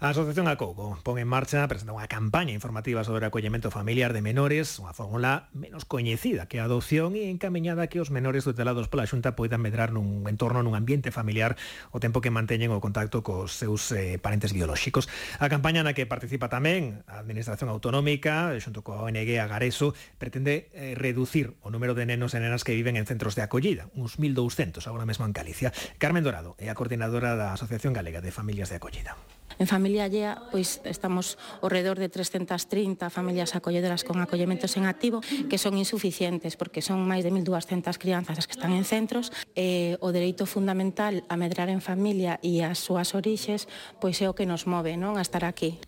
A Asociación Acougo pon en marcha, presenta unha campaña informativa sobre o acollemento familiar de menores, unha fórmula menos coñecida que a adopción e encamiñada que os menores tutelados pola Xunta poidan medrar nun entorno, nun ambiente familiar o tempo que manteñen o contacto cos seus parentes biolóxicos. A campaña na que participa tamén a Administración Autonómica, xunto coa ONG Agareso, pretende reducir o número de nenos e nenas que viven en centros de acollida, uns 1.200 agora mesmo en Galicia. Carmen Dorado é a coordinadora da Asociación Galega de Familias de Acollida. En familia allea, pois estamos ao redor de 330 familias acolledoras con acollementos en activo, que son insuficientes porque son máis de 1.200 crianzas as que están en centros. O dereito fundamental a medrar en familia e as súas orixes, pois é o que nos move, non, a estar aquí.